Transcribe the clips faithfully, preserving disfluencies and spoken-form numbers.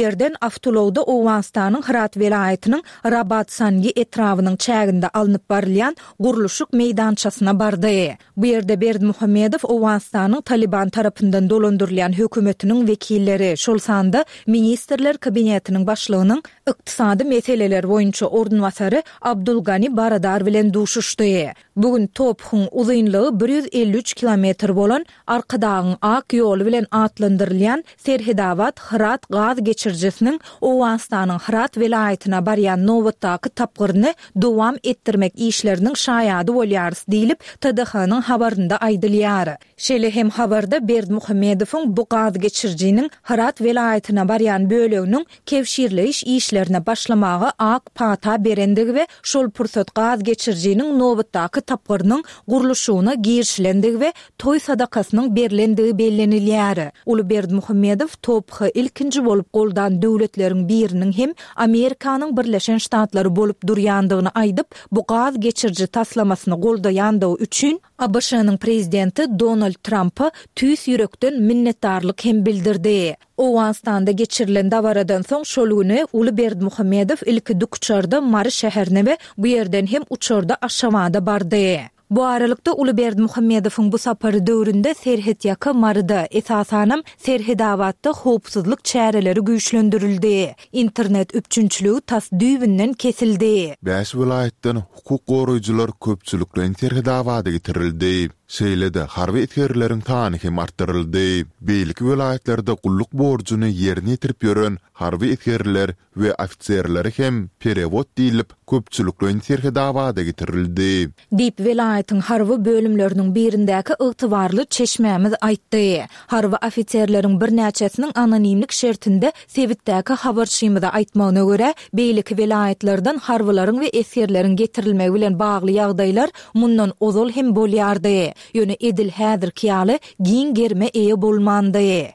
Ýerden awtoulagda Owganystanyň Hyrat welaýatynyň Rabat-Sangi etrabynyň çäginde alnyp barylýan gurluşyk meýdançasyna bardy. Bu ýerde Berdimuhamedow Owganystanyň Talyban tarapyndan dolandyrylýan hökümetiniň wekilleri, şol sanda Ministrler Kabinetiniň başlygynyň ykdysady meseleler boýunça orunbasary Abdul Gani Baradar bilen duşuşdy. Bu gün T O P H-yň uzynlygy bir ýüz elli üç kilometr bolan Arkadagyň ak ýoly bilen atlandyrylýan Serhedabat-Hyrat gaz geçirijisiniň Owganystanyň Hyrat welaýatyna barýan nobatdaky tapgyryny dowam etdirmek işleriniň şaýady bolýarys diýlip, T D H-nyň habarynda aýdylýar. Şeýle hem habarda Berdimuhamedowyň bu gaz geçirijiniň Hyrat welaýatyna barýan böleginiň kebşirleýiş işlerine başlamaga ak pata berendigi we şol pursat gaz geçirijiniň nobatdaky tapgyrynyň gurluşygyna girişilendigi we toý sadakasynyň berlendigi bellenilýär. Uly Berdimuhamedow T O P H ilkinji bolup goldan döwletleriň biriniň hem Amerikanyň Birleşen Ştatlary bolup durýandygyny aýdyp, bu gaz geçiriji taslamasyny goldaýandygy üçin A B Ş-nyň prezidenti Donald Trumpa tüýs ýürekden minnetdarlyk hem bildirdi. Owganystanda geçirilen dabaradan soň şol güni Uly Berdimuhamedow ilki dikuçarda Mary şäherine we bu ýerden hem uçarda Aşgabada bardy. Bu aralykda Uly Berdimuhamedowyň bu sapary döwründe serhetýaka Maryda, esasanam Serhedabatda howpsuzlyk çäreleri güýçlendirildi. Internet üpjünçiligi tas düýbünden kesildi. Bäş welaýatdan hukuk goraýjylar köpçülikleýin Serhedabada getirildi. Şeýle-de harby esgerleriň sany hem artdyryldy. Beýleki welaýatlarda gulluk borjuny ýerine ýetirip ýören harby esgerler we ofiserleri hem perewod diýlip, köpçülikleýin Serhedabada getirildi. Diýip, welaýatyň harby bölümleriniň birindäki ygtybarly çeşmämiz aýtdy. Harby ofiserleriň birnäçesiniň anonimlik şertinde sebitdäki habarçymyza aýtmagyna görä, beýleki welaýatlardan harbylaryň we esgerleriň getirilmegi bilen bagly ýagdaýlar mundan ozal hem bolýardy. Ýöne edil häzirki ýaly giň gerime eýe bolmandy.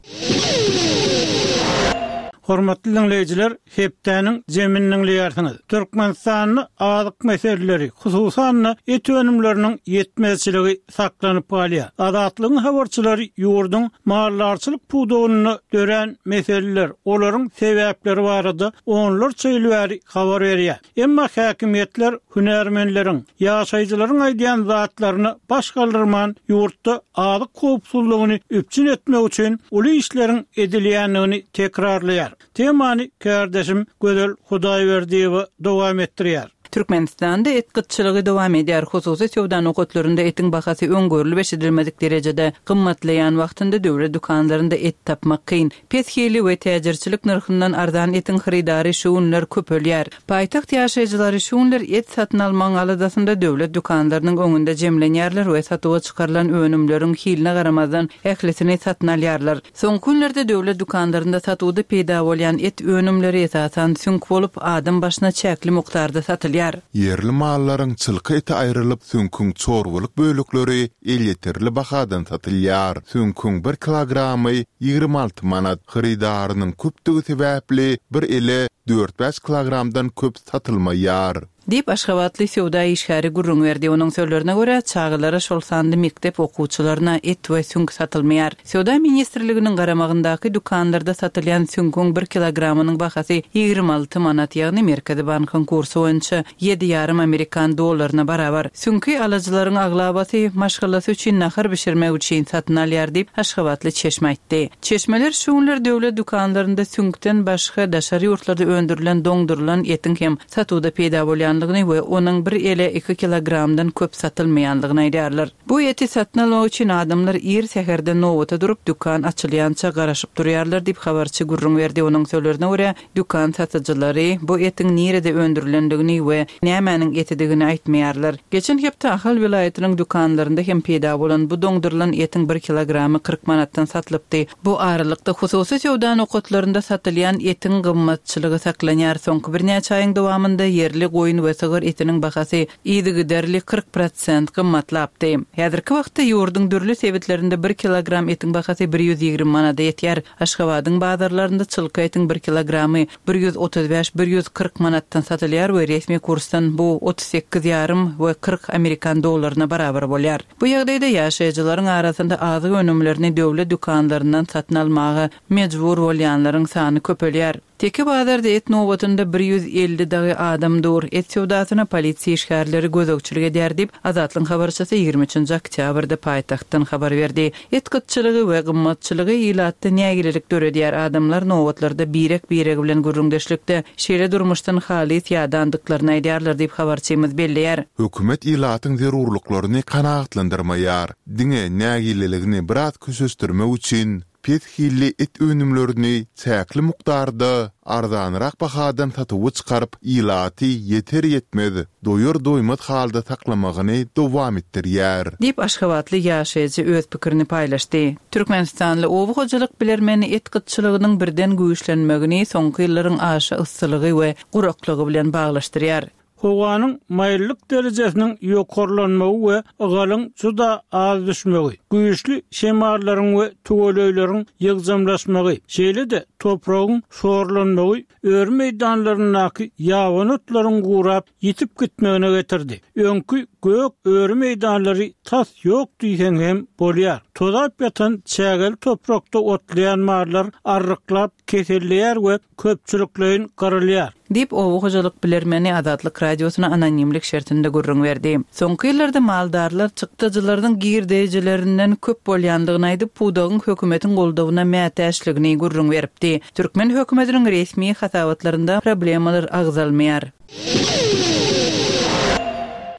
Hormatly diňleýjiler, hepdäniň jemini diňleýärsiňiz. Türkmenistanda azyk meseleleri, hususan-da et önümleriniň ýetmezçiligi saklanyp galýar. Azatlygyň habarçylary ýurduň maldarçylyk pudagynda dörän meseleler, olaryň sebäpleri barada onlarça ýyl bäri habar berýär. Emma häkimiýetler hünärmenleriň, ýaşaýjylaryň aýdýan zatlaryna baş galdyrman, ýurtda azyk howpsuzlygyny üpjün etmek üçin uly işleriň edilýändigini tekrarlaýar. Temany kärdeşim Gözel Hudaýberdiýewa dowam etdirýär. Türkmenistanda et gytçylygy dowam edýär. Hususy söwda nokatlarynda etiň bahasy öňgörülip eşidilmedik derejede gymmatlaýan wagtynda döwlet dükanlarynda et tapmak kyn. Pes hili we täjirçilik nyrhyndan arzan etiň hyrydary şu günler köpelýär. Paýtagt ýaşaýjylary şu günler et satyn almagyň aladasynda döwlet dükanlarynyň öňünde jemlenýärler we satuwa çykarylan önümleriň hiline garamazdan ählisini satyn alýarlar. Soňky günlerde döwlet dükanlarynda satuwda peýda bolýan et önümleri esasan süňk bolup, adam başyna çäkli mukdarda satylýar. Ýerli mallaryň çylka eti aýrylyp, süňküň çorbalyk bölekleri elýeterli bahadan satylýar. Süňküň bir kilogramy ýigrimi alty manat. Hyrydarynyň köpdügi sebäpli bir ele dört-bäş kilogramdan köp satylmaýar. Diýip, aşgabatly söwda işgäri gürrüň berdi. Onuň sözlerine görä, çagalara, şol sanda mekdep okuwçylaryna et we süňk satylmaýar. Söwda ministrliginiň garamagyndaky dükanlarda satylýan süňküň bir kilogramynyň bahasy ýigrimi alty manat, ýagny Merkezi bankyň kursy boýunça ýedi ýarym amerikan dollaryna barabar. Süňki alyjylaryň aglabasy maşgalasy üçin nahar bişirmek üçin satyn alýar diýip, aşgabatly çeşme aýtdy. Çeşmeler şu günler döwlet dükanlarynda süňkden başga daşary ýurtlarda öndürilen doňdurylan etiň hem satuwda peýda bolýandygyny we onuň bir ele iki kilogramdan köp satylmaýandygyny aýdýarlar. Bu eti satyn almak üçin adamlar ir säherden nobata durup, dükan açylýança garaşyp durýarlar diýip, habarçy gürrüň berdi. Onuň sözlerine görä, dükan satyjylary bu etiň nirede öndürilendigini we nämäniň etidigini aýtmaýarlar. Geçen hepde Ahal welaýatynyň dükanlarynda hem peýda bolan bu doňdurylan etiň bir kilogramy kyrk manatdan satylypdy. Bu aralykda hususy söwda nokatlarynda satylýan etiň gymmatçylygy saklanýar. Soňky birnäçe aýyň dowamynda ýerli goýun we sygyr etiniň bahasy yzygiderli kyrk prosent gymmatlapdy. Häzirki wagtda ýurduň dürli sebitlerinde bir kilogram etiň bahasy bir ýüz ýigrimi manada ýetýär. Aşgabadyň bazarlarynda çylka etiň bir kilogramy bir ýüz otuz bäş, bir ýüz kyrk manatdan satylýar we resmi kursdan bu otuz sekiz ýarym we kyrk amerikan dollaryna barabar bolýar. Bu ýagdaýda ýaşaýjylaryň arasynda azyk önümlerini döwlet dükanlaryndan satyn almaga mejbur bolýanlaryň sany köpelýär. Teke bazarda et nobatynda bir ýüz elli dagy adam dur. Et söwdasyna polisiýa işgärleri gözegçilik edýär diýip, Azatlygyň habarçysy ýigrimi üçünji oktýabrda paýtagtdan habar berdi. Et gytçylygy we gymmatçylygy ilatda nägilelik döredýär. Adamlar nobatlarda birek-biregi bilen gürrüňdeşlikde şeýle durmuşdan halys ýadandyklaryny aýdýarlar diýip, habarçymyz belleýär. Hökümet ilatyň zerurlyklaryny kanagatlandyrmaýar. Diňe nägileligini biraz köşeşdirmek üçin pes hilli et önümlerini çäkli mukdarda arzanrak bahadan satuwa çykaryp, ilaty ýeter-ýetmez, doýar-doýmaz halda saklamagyny dowam etdirýär. Diýip, aşgabatly ýaşaýjy öz pikirini paýlaşdy. Türkmenistanly oba hojalyk bilermeni et gytçylygynyň birden güýçlenmegini soňky ýyllaryň aşa yssylygy we guraklygy bilen baglaşdyrýar. Howanyň maýyllyk derejesiniň ýokarlanmagy we ygalyň juda az düşmegi, güýçli şemallaryň we tüweleýleriň ýygjamlaşmagy, şeýle-de topragyň şorlanmagy öri meýdanlaryndaky ýabany otlaryň gurap ýitip gitmegine getirdi. Öňki gök öri meýdanlary tas ýok diýseň hem bolýar. Tozap ýatan çägeli toprakda otlaýan mallar arryklap keselleýär we köpçülikleýin gyrylýar. Diýip, oba hojalyk bilermeni Azatlyk Radiosyna anonimlik şertinde gürrüň berdi. Soňky ýyllarda maldarlar çykdajylarynyň girdejilerinden köp bolýandygyny aýdyp, pudagyň hökümetiň goldawyna mätäçligini gürrüň beripdi. Türkmen hökümetiniň resmi hasabatlarynda problemalar agzalmaýar.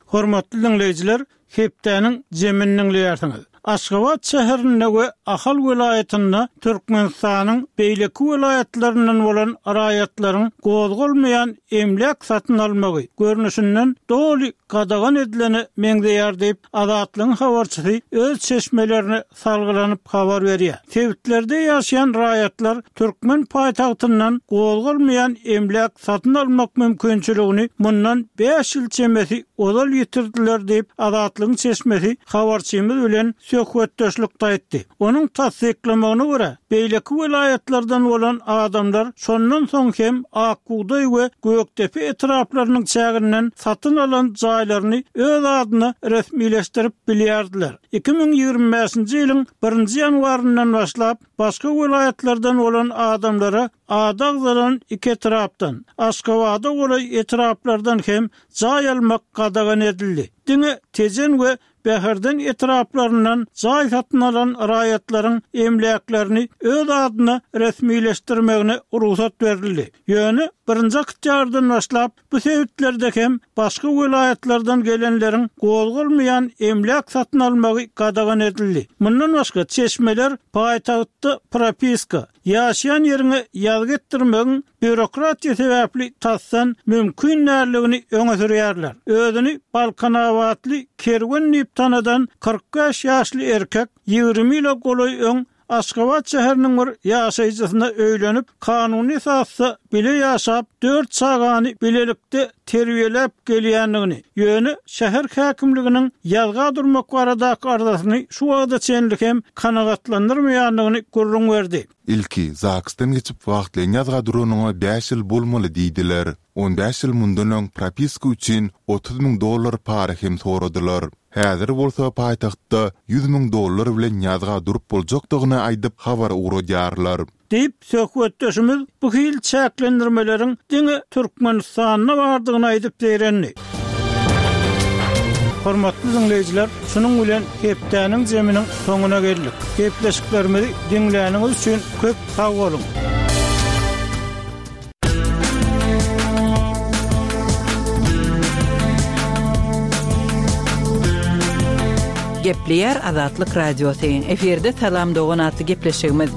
Hormatly diňleýjiler, hepdäniň jemini diňleýärsiňiz. Aşgabat şäherinde we Ahal welaýatynda Türkmenistanyň beýleki welaýatlaryndan bolan raýatlaryň gozgalmaýan emläk satyn almagy görnüşinden doly gadagan edilene meňzeýär diýip, Azatlygyň habarçysy öz çeşmelerine salgylanyp habar berýär. Sebitlerde ýaşaýan raýatlar türkmen paýtagtyndan gozgalmaýan emläk satyn almak mümkinçiligini mundan bäş ýyl çemesi ozal ýitirdiler diýip, Azatlygyň çeşmesi habarçymyz bilen söhbetdeşlikde aýtdy. Onuň tassyklamagyna görä, beýleki welaýatlardan bolan adamlar şondan soň hem Akbugdaý we Gökdepe etraplarynyň çäginden satyn alan jaýlaryny öz adyna resmileşdirip bilýärdiler. Iki müň ýigrimi bäşinji ýylyň birinji ýanwaryndan başlap başga welaýatlardan bolan adamlara ady agzalan iki etrapdan, Aşgabada golaý etraplardan hem jaý almak gadagan edildi. Diňe Tejen we Bäherden etraplaryndan jaý satyn alan raýatlaryň emläklerini öz adyna resmileşdirmegine rugsat berildi. Ýöne birinji oktýabrdan başlap bu sebitlerde hem başga welaýatlardan gelenleriň gozgalmaýan emläk satyn almagy gadagan edildi. Mundan başga çeşmeler paýtagtda propiska, ýaşaýan ýeriňe ýazgy etdirmegiň býurokratiýa sebäpli tasdan mümkin däldigini öňe sürýärler. Özüni Balkanabatly Kerwen diýip tanadan kyrk bäş ýaşly erkek ýigrimi ýyla golaý öň Aşgabat şäheriniň bir ýaşaýjysyna öýlenip, kanuny esasda bile ýaşap, dört çagany bilelikde terbiýeläp gelýändigini, ýöne şäher häkimliginiň ýazga durmak baradaky arzasyny şu wagta çenli hem kanagatlandyrmaýandygyny gürrüň berdi. Ilki ZAGS-dan geçip wagtlaýyn ýazga duranyňa bäş ýyl bolmaly diýdiler. On bäş ýyl mundan öň propiska üçin otuz müň dollar para hem soradylar. Häzir bolsa paýtagtda ýüz müň dollar bilen ýazga durup boljakdygyny aýdyp habar ugradýarlar. Diýip, söhbetdeşimiz bu hil çäklendirmeleriň diňe Türkmenistanda bardygyny aýdyp zeýrendi. Hormatly diňleýjiler, şunuň bilen hepdäniň jeminiň soňuna geldik. Gepleşiklerimizi diňläniňiz üçin köp sag boluň. Gepleýär Azatlyk Radiosy. Efirde Salam dogan atly gepleşigimiz.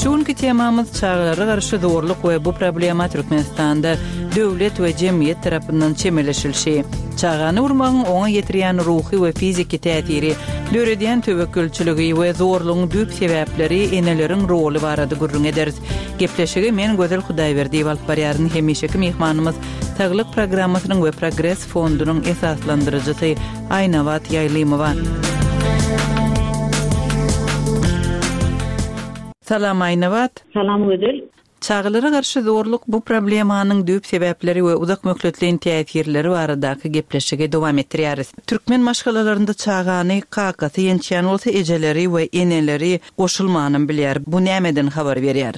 Şu günki temamyz çagalara garşy zorluk we bu problema Türkmenistanda döwlet we jemgyýet tarapyndan çemeleşilişi. Çagany urmagyň oňa ýetirýän ruhy we fiziki täsiri, döredýän töwekgelçiligi we zorlugyň düýp sebäpleri, eneleriň roly barada gürrüň ederis. Gepleşigi men Gözel Hudaýberdiýewa alyp barýaryn. Hemişeki myhmanymyz Saglyk programmasynyň we Progres fondunyň esaslandyryjysy Aýnabat Ýaýlymowa. Salam Aýnabat. Salam Gözel. Çagalara garşy zorluk bu problemanyň düýp sebäpleri we uzak möhletleýin täsirleri baradaky gepleşigi dowam etdirýäris. Türkmen maşgalalarynda çagany kakasy ýençýän bolsa ejeleri we eneleri goşulmanam bilýär. Bu nämeden habar berýär?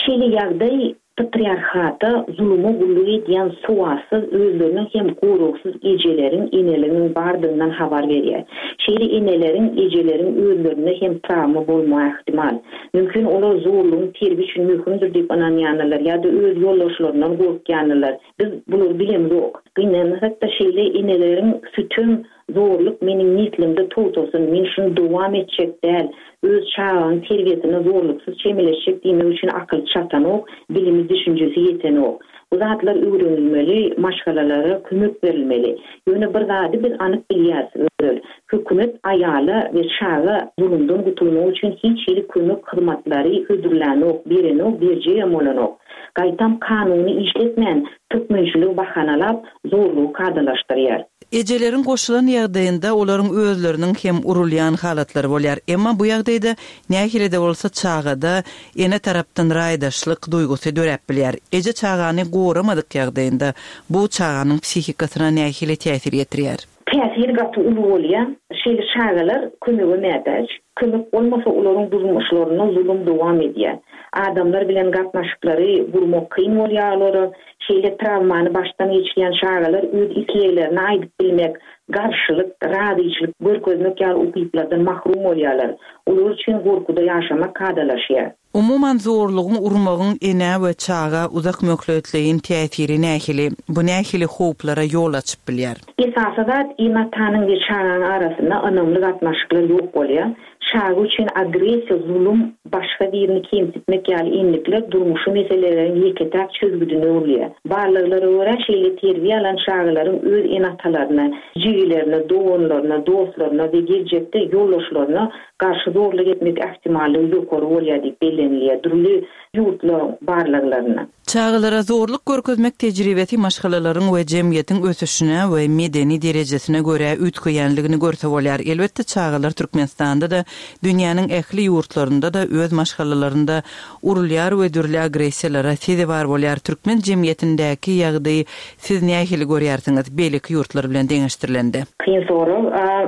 Şeýle ýagdaý patriarhata zuluma gulluk edýän sowatsyz, özleriniň hem goragsyz ejeleriň, eneleriň bardygyndan habar berýär. Şeýle eneleriň, ejeleriň özlerinde hem trawma bolmagy ähtimal. Mümkin olar zorlugyň terbiýe üçin möhümdir diýip ynanýanlar ýa-da öz ýoldaşlaryndan gorkýanlar. Biz bulary bilemzok. Gynansak-da şeýle eneleriň sütem, zorluk meniň neslimde togtasyn, men şuny dowam etjek däl, öz çagaň terbiýesine zorluksyz çemeleşjek diýmek üçin akyl çatanok, bilimi düşünjesi ýetenok. Bu zatlar öwrenilmeli, maşgalalara kömek berilmeli. Ýöne bir zady biz anyk bilýäris özel. Hökümet aýala we çaga zulumdan gutulmak üçin hiç hili kömek hyzmatlary hödürlänok, berenok, berjegem bolanok. Gaýtam kanuny işletmän türkmençiligi bahanalap zorlugy kadalaşdyrýar. Ejeleriň goşulan ýagdaýynda olaryň özleriniň hem urulýan halatlary bolýar. Emma bu ýagdaýda nähili-de bolsa çagada ene tarapdan raýdaşlyk duýgusy döräp bilýär. Eje çagany goramadyk ýagdaýynda bu çaganyň psihikasyna nähili täsir ýetirýär? Täsir gaty uly bolýar. Şeýle çagalar kömege mätäç. Kömek bolmasa olaryň durmuşlarynda zulum dowam edýär. Adamlar bilen gatnaşyklary gurmak kyn bolýar olara. Şeýle travmany başdan geçirýän çagalar öz isleglerini aýdyp bilmek, garşylyk, razyçylyk görkezmek ýaly ukyplardan mahrum bolýarlar. Olar üçin gorkuda ýaşamak kadalaşýar. Umuman zorlugyň urmagyň ene we çaga uzak möhletleýin täsiri nähili? Bu nähili howplara ýol açyp bilýär? Esasy zat ene-atanyň we çaganyň arasynda ynamly gatnaşyklar ýok bolýar. Çaga üçin agressiýa, zulum, başga birini kemsitmek ýaly enlikler durmuşy meseleleriň ýeke-täk çözgüdine öwrülýär. Barlaglara görä şeýle terbiýe alan çagalaryň öz ene-atalaryna, jigilerine, doganlaryna, dostlaryna we geljekde ýoldaşlaryna garşy zorluk etmek ähtimallygy ýokary bolýar diýip bellenilýär dürli ýurtlaryň barlaglarynda. Çagalara zorluk görkezmek tejribesi maşgalalaryň we jemgyýetiň ösüşine we medeni derejesine görä üýtgeýänligini görse bolýar. Elbetde çagalar Türkmenistanda da dünýäniň ähli ýurtlarynda da öz maşgalalarynda urulýar we dürli agressiýalara sezewar bolýar. Türkmen jemgyýetindäki ýagdaýy siz nähili görýärsiňiz beýleki ýurtlar bilen deňeşdirilende? Kyn sorag.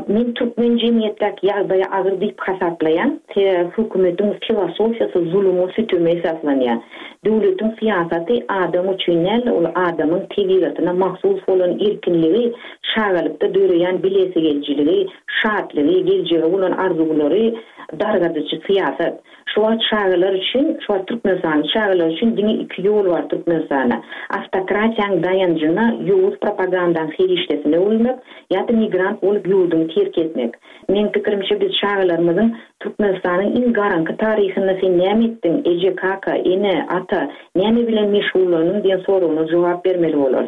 Men türkmen jemgyýetdäki ýagdaýy agyr diýip hasaplaýan. Sebäbi hökümetiň filosofiýasy zuluma süteme esaslanýar. Döwletiň syýasaty adam üçin däl, ol adamyň tebigatyna mahsus bolan erkinligi, çagalykda döreýän bilesigeljiligi, şatlygy, geljege bolan arzuwlary dargadyjy syýasat. Şu wagt çagalar üçin, şu wagt Türkmenistanyň çagalar üçin diňe iki ýol bar Türkmenistanda. Awtokratiýanyň daýanjyna, ýowuz propagandanyň serişdesine öwrülmek ýa-da migrant bolup ýurduny terk etmek. Men pikirimçe biz çagalarymyzyň Türkmenistanyň iň garaňky taryhynda sen näme etdiň, eje, kaka, ene, ata, näme bilen meşgullandyň diýen soragyna jogap bermeli bolar.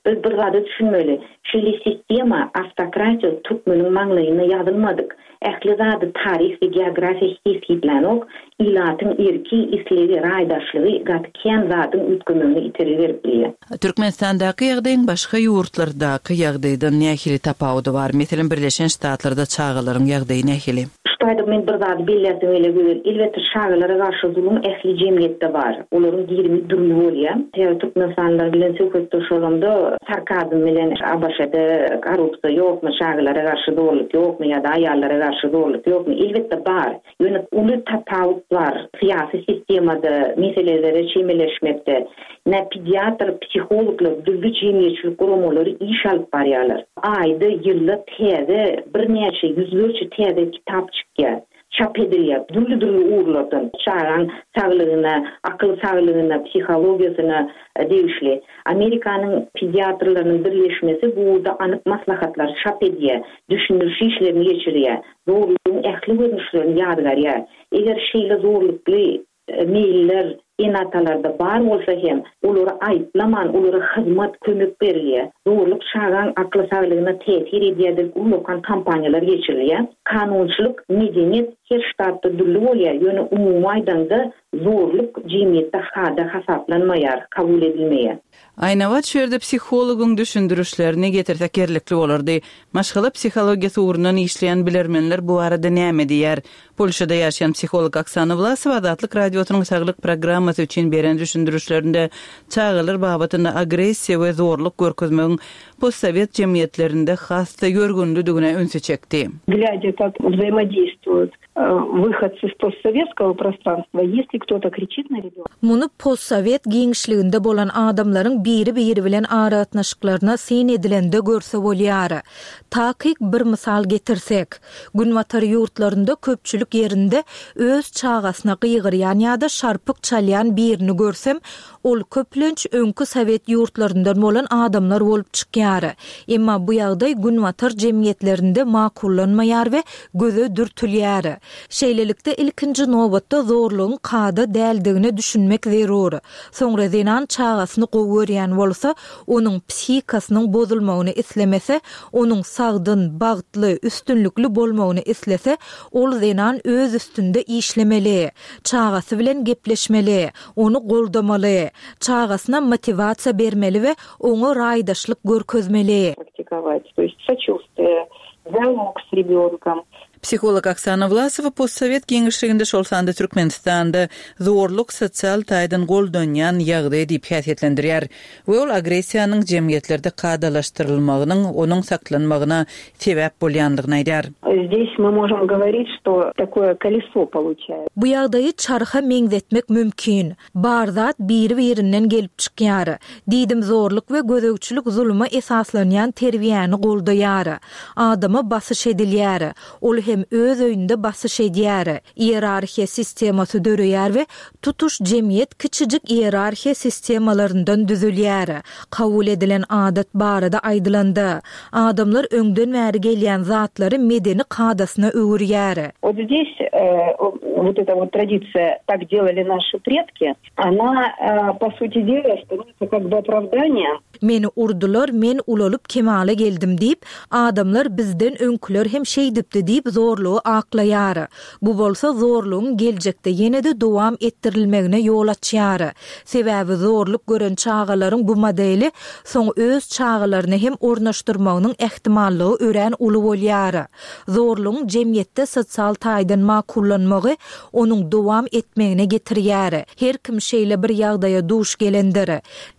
Biz bir zada düşünmeli. Şeýle sistema, awtokratiýa türkmeniň maňlaýyna ýazylmadyk. Ähli zady taryh we geografiýa kesgitlänok, ilatyň erki, islegi, raýdaşlygy gaty kän zadyň üýtgemegine itergi berip bilýär. Türkmenistandaky ýagdaýyň başga ýurtlardaky ýagdaýdan nähili tapawudy bar? Meselem, Birleşen Ştatlarda çagalaryň ýagdaýy nähili? Şu taýda men bir zady belläsim gelýär gözel. Elbetde çagalara garşy zulum ähli jemgyýetde bar. Olaryň girimi dürli bolýar. Sebäbi Türkmenistanlylar bilen söhbetdeş bolamda sarkazm bilen A B Ş-da korrupsiýa ýokmy, çagalara garşy zorluk ýokmy ýa-da aýallara garşy zorluk ýokmy? Elbetde bar. Ýöne uly tapawut bar. Syýasy sistemada meselelere çemeleşmekde ne pediatr, psihologlar, dürli jemgyýetçilik guramalary iş alyp barýarlar. Aýda, ýylda täze birnäçe ýüzlerçe täze kitap çykýar. Çap edilýär. Dürli-dürli ugurlardan çagaň saglygyna, akyl saglygyna, psihologiýasyna degişli. Amerikanyň pediatrlarynyň birleşmesi bu ugurda anyk maslahatlar çap edýär, düşündiriş işlerini geçirýär. Zorlugyň ähli görnüşlerini ýazgarýar. Eger şeýle zorlukly meýiller ene-atalarda bar bolsa hem olary aýyplaman, olara hyzmat, kömek berilýär. Zorluk çagaň akly saglygyna täsir edýär diýip ullakan kampaniýalar geçirilýär. Kanunçylyk, medeniýet her ştatda dürli bolýar. Ýöne umumy aýdanda zorluk jemgyýetde kada hasaplanmaýar, kabul edilmeýär. Aýnabat şu ýerde psihologyň düşündirişlerini getirsek ýerlikli bolardy. Maşgala psihologiýasy ugrundan işleýän bilermenler bu barada näme diýär? Polşada ýaşaýan psiholog Oksana Wlasowa Azatlyk radiosynyň saglyk programmasyna programmasy üçin beren düşündirişlerinde çagalar babatynda agressiýa we zorluk görkezmegiň postsowet jemgyýetlerinde has-da ýörgünlidigine ünsi çekdi. Глядя, как взаимодействуют выходцы с постсоветского пространства, если кто-то кричит на ребенка. Muny postsowet giňişliginde bolan adamlaryň biri-biri bilen aragatnaşyklaryna syn edilende görse bolýar. Takyk bir mysal getirsek, Günbatar ýurtlarynda köpçülik ýerinde öz çagasyna gygyrýan ýa-da şarpyk çalýan birini görsem, ol köplenç öňki sowet ýurtlaryndan bolan adamlar bolup çykýar. Emma bu ýagdaý Günbatar jemgyýetlerinde makullanmaýar we göze dürtülýär. Şeýlelikde ilkinji nobatda zorlugyň kada däldigine düşünmek zerur. Soňra zenan çagasyny gowy görýän bolsa, onuň psihikasynyň bozulmagyny islemese, onuň sagdyn, bagtly, üstünlikli bolmagyny islese, ol zenan öz üstünde işlemeli, çagasy bilen gepleşmeli, ony goldamaly, çagasyna motiwasiýa bermeli we oňa raýdaşlyk görkezmeli. Практиковать, то есть сочувствие, диалог с ребенком. Psiholog Oksana Wlasowa postsowet giňişliginde şol sanda Türkmenistanda zorluk sosial taýdan goldanýan ýagdaý diýip häsiýetlendirýär we ol agressiýanyň jemgyýetlerde kadalaşdyrylmagynyň onuň saklanmagyna sebäp bolýandygyny aýdýar. Здесь мы можем говорить, что такое колесо получается. Bu ýagdaýy çarha meňzetmek mümkin. Bar zat biri-birinden gelip çykýar. Diýdim zorluk we gözegçilik zuluma esaslanýan terbiýäni goldaýar. Adama basyş edilýär. Ol hem öz öýünde basyş edýär. Iýerarhiýa sistemasy döreýär we tutuş jemgyýet kiçijik iýerarhiýa sistemalaryndan düzülýär. Kabul edilen adat barada aýdylanda, adamlar öňden bäri gelýän zatlary medeni kadasyna öwürýär. Вот здесь, э, вот эта вот традиция «так делали наши предки», она, э, по сути дела, становится как бы оправданием. Meni urdular, men ulalyp kemala geldim diýip, adamlar bizden öňküler hem şeýdipdi diýip zorlugy aklaýar. Bu bolsa zorlugyň geljekde ýene-de dowam etdirilmegine ýol açýar. Sebäbi zorluk gören çagalaryň bu modeli soň öz çagalaryny hem ornaşdyrmagynyň ähtimallygy örän uly bolýar. Zorlugyň jemgyýetde sosial taýdan makullanmagy onuň dowam etmegine getirýär. Her kim şeýle bir ýagdaýa duş gelendir.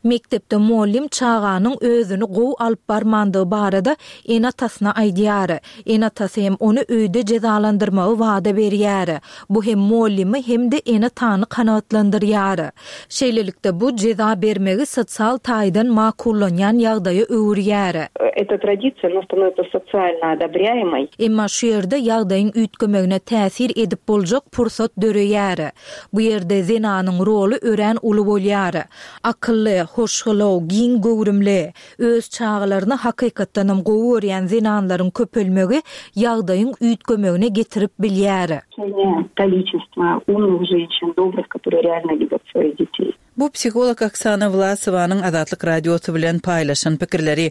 Mekdepde muallim çaganyň özüni gowy alyp barmandygy barada ene-atasyna aýdýar. Ene-atasy hem ony öýde jezalandyrmagy wada berýär. Bu hem muallimi hem-de ene-atany kanagatlandyrýar. Şeýlelikde bu jeza bermegi sosial taýdan makullanýan ýagdaýa öwürýär. Эта традиция, она становится социально одобряемой. Emma şu ýerde ýagdaýyň üýtgemegine täsir edip boljak pursat döreýär. Bu ýerde zenanyň roly örän uly bolýar. Akylly, hoşgylaw, giň göwrümli, öz çagalaryny hakykatdanam gowy görýän zenanlaryň köpelmegi ýagdaýyň üýtgemegine getirip bilýär. Количество умных женщин, добрых, которые реально любят своих детей. Bu psiholog Oksana Wlasowanyň Azatlyk Radiosy bilen paýlaşan pikirleri.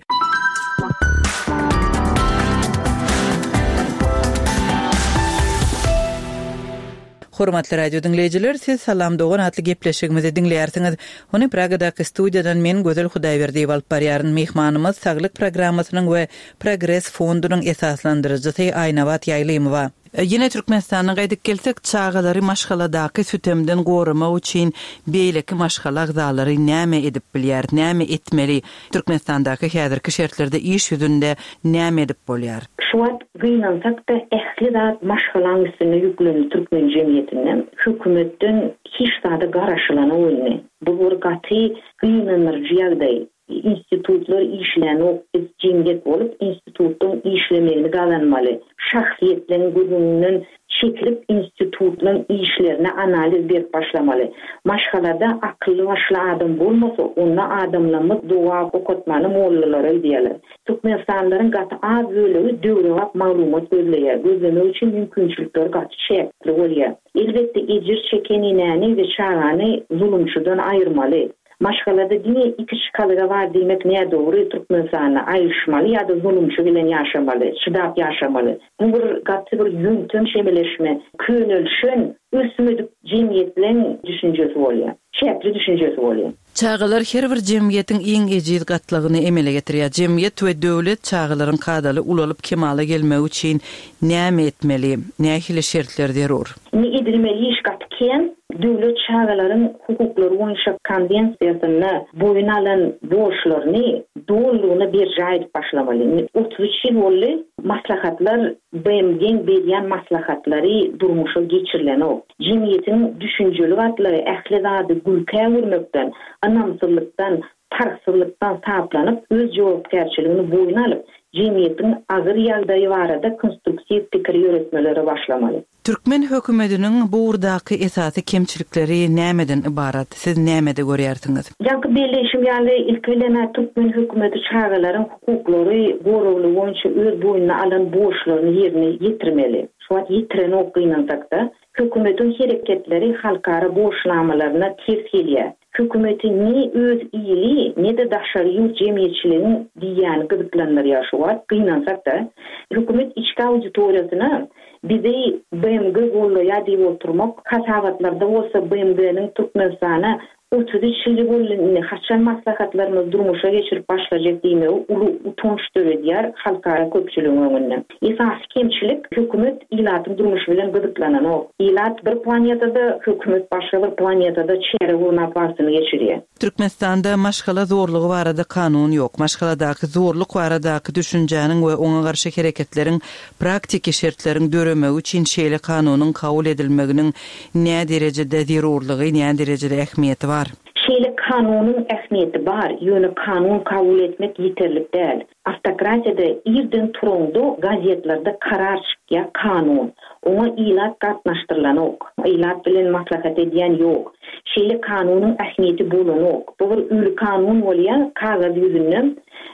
Hormatly radio diňleýjiler, siz Salam Dogan atly gepleşigimizi diňleýärsiňiz. Ony Pragadaky studiýadan men Gözel Hudaýberdiýewa alyp barýaryn. Myhmanymyz Saglyk programmasynyň we Progres fondunyň esaslandyryjysy Aýnabat Ýaýlymowa. Ýene Türkmenistana gaýdyp gelsek, çagalary maşgaladaky sütemden goramak üçin beýleki maşgala agzalary näme edip bilýär, näme etmeli? Türkmenistandaky häzirki şertlerde iş ýüzünde näme edip bolýar? Şu wagt gynansak da ähli zat maşgalaň üstüne ýüklendi türkmen jemgyýetinden, hökümetden hiç zada garaşylany boldy. Bu bir gaty gynandyryjy ýagdaý. Institutlar işlänok, biz jemgyýet bolup institutdan işlemegini gazanmaly. Şahsyýetlerin gürrüňinden çekilip institutlaryň işlerine analiz berip başlamaly. Maşgalada akylly başly adam bolmasa, onda adamlarymyz doga okatmany mollalara diýerler. Türkmenistanlylaryň gaty az bölegi döwrebap maglumat gözleýär. Gözlemek üçin mümkinçilikler gaty çäkli bolýar. Elbetde ejir çeken enäni we çagany zulumçydan aýyrmaly. Maşgalada diňe iki çykalga bar diýmek nädogry, Türkmenistanda aýryşmaly ýa-da zulumçy bilen ýaşamaly, çydap ýaşamaly. Bu bir gaty bir ýöntem şemeleşme, könelşen, ösmedik jemgyýetleň düşünjesi bolýar. Çäkli düşünjesi bolýar. Çagalar her bir jemgyýetiň iň ejiz gatlagyny emele getirýär. Jemgyýet we döwlet çagalaryň kadaly ulalyp kemala gelmegi üçin näme etmeli, nähili şertler zerur? Ne edilmeli iş gaty kän, Döwlet çagalaryň hukuklary boýunça konwensiýasynda boýun alan borçlaryny dolulygyna berjaý edip başlamaly. Indi otuz üç ýyl boldy, maslahatlar, B M G-iň berýän maslahatlary durmuşa geçirilenok. Jemgyýetiň düşünjeli gatlagy ähli zady gülkä öwürmekden, ynamsyzlykdan, parhsyzlykdan saplanyp, öz jogapkärçiligini boýun alyp, jemgyýetiň agyr ýagdaýy barada konstruktiw pikir ýöretmelere başlamaly. Türkmen hökümetiniň bu ugurdaky esasy kemçilikleri nämeden ybarat? Siz nämede görýärsiňiz? Ýaňky belleýşim ýaly, ilki bilen türkmen hökümeti çagalaryň hukuklary goragly boýunça öz boýnuna alan borçlaryny ýerine ýetirmeli. Şu wagt ýetirenok gynansak-da. Hökümetiň hereketleri halkara borçnamalaryna ters gelýär. Hökümeti ne öz ili, ne-de daşary ýurt jemgyýetçiligiň diýýäni gyzyklandyrýar şu wagt, gynansak-da. Hökümet içki auditoriýasyna bizi B M G gollaýar diýip oturmak, hasabatlarda bolsa B M G-niň Türkmenistana otuz üç ýyl boldy indi haçan maslahatlarymyzy durmuşa geçirip başlajak diýmegi uly utanç döredýär halkara köpçüligiň öňünde. Esasy kemçilik hökümet ilatyň durmuşy bilen gyzyklananok. Ilat bir planetada, hökümet başga bir planetada çäre gurnap wagtyny geçirýär. Türkmenistanda maşgala zorlugy barada kanun ýok. Maşgaladaky zorluk baradaky düşünjäniň we oňa garşy hereketleriň praktiki şertleriň döremegi üçin şeýle kanunyň kabul edilmeginiň nä derejede zerurlygy, nä derejede ähmiýeti bar? Şeýle kanunyň ähmiýeti bar, ýöne kanun kabul etmek ýeterlik däl. Awtokratiýada irden turaňda gazetlerde karar çykýar kanun. Oňa ilat gatnaşdyrylanok, ilat bilen maslahat edýän ýok. Şeýle kanunyň ähmiýeti bolanok. Bu bir uly kanun bolýar, kagyz ýüzünden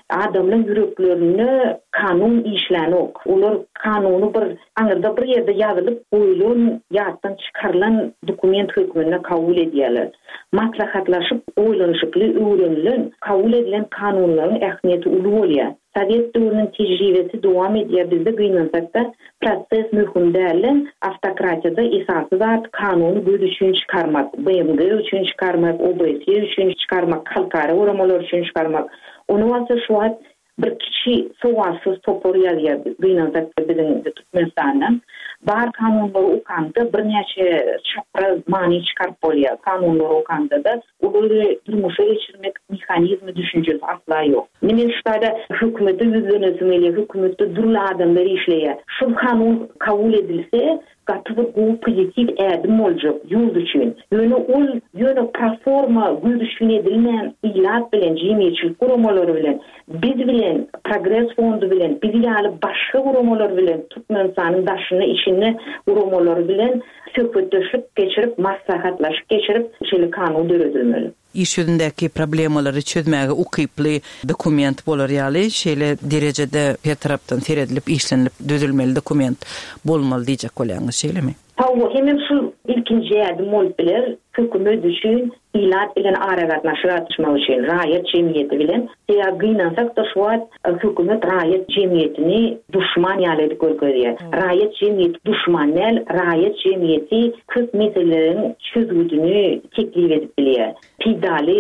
adamlaryň ýüreklerinde kanun işlänok. Olar kanuny bir aňyrda bir ýerde ýazylyp goýulan, ýatdan çykarylan dokument hökmünde kabul edýärler. Maslahatlaşyp, oýlanyşykly öwrenilen, kabul edilen kanunlaryň ähmiýeti uly bolýar. Sowet döwrüniň tejribesi dowam edýär, bizde gynansak-da proses möhüm däl. Awtokratiýada esasy zat kanuny göz üçin çykarmak, B M G üçin çykarmak, O B S E üçin çykarmak, halkara guramalar üçin çykarmak. Ony bolsa şu wagt bir kiçi sowatsyz topar ýazýar, gynansak-da biziň Türkmenistandan. Bar kanunlary okanda birnäçe çapraz many çykaryp bolýar. Kanunlary okanda da olary durmuşa geçirmek mehanizmi düşünjesi asla ýok. Men şu taýda hökümete ýüzlenesim gelýär, hökümetde dürli adamlar işleýär. Şu kanun kabul edilse, gaty bir gowy pozitiw ädim boljak ýurt üçin. Ýöne ol ýöne proforma göz üçin edilmän, ilat bilen, jemgyýetçilik guramalary bilen, biz bilen, Progres fondy bilen, biz ýaly başga guramalar bilen, Türkmenistanyň daşynda, içinde guramalary bilen söhbetdeşlik geçirip, maslahatlaşyp geçirip, şeýle kanun döredilmeli. Iş ýüzündäki problemalary çözmäge ukyply dokument bolar ýaly, şeýle derejede her tarapdan seredilip, işlenilip düzülmeli dokument bolmaly diýjek bolýaňyz, şeýlemi? Hawa, hemem şu ilkinji ädim bolup biler, hökümet üçin ilat bilen aragatnaşyk açmak üçin, raýat jemgyýeti bilen. Ýa gynansak da şu wagt hökümet raýat jemgyýetini duşman ýaly edip görkezýär. Raýat jemgyýeti duşman däl, raýat jemgyýeti köp meseleleriň çözgüdini teklip edip bilýär. Peýdaly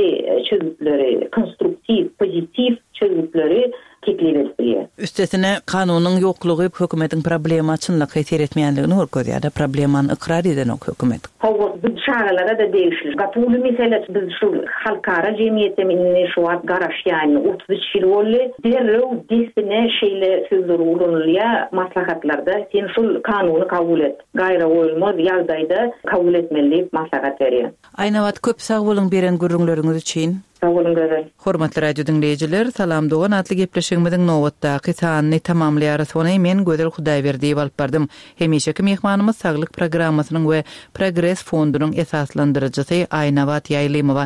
çözgütleri, konstruktiw, pozitiw çözgütleri teklip edip bilýär. Üstesine kanunyň ýoklugy hökümetiň problema çynlakaý seretmeýänligini görkezýär. Problemany ykrar edenok hökümet. Hawa, bu çagalara da degişli. Gaty uly mesele biz şu halkara jemgyýeti indi şu wagt garaşýan otuz üç ýyl boldy. Derrew dessine şeýle sözler ulanylýar maslahatlarda. Sen şul kanuny kabul et. Gaýra goýulmaz ýagdaýda kabul etmeli diýip maslahat berýär. Aýnabat, köp sag boluň beren gürrüňleriňiz üçin. Sag boluň Gözel. Hormatly radio diňleýjiler, Salam Dogan atly gepleşigimiziň nobatdaky sanyny tamamlaýarys. Ony men Gözel Hudaýberdiýewa alyp bardym. Hemişeki myhmanymyz Saglyk programmasynyň we Progres fondunyň esaslandyryjysy Aýnabat Ýaýlymowa.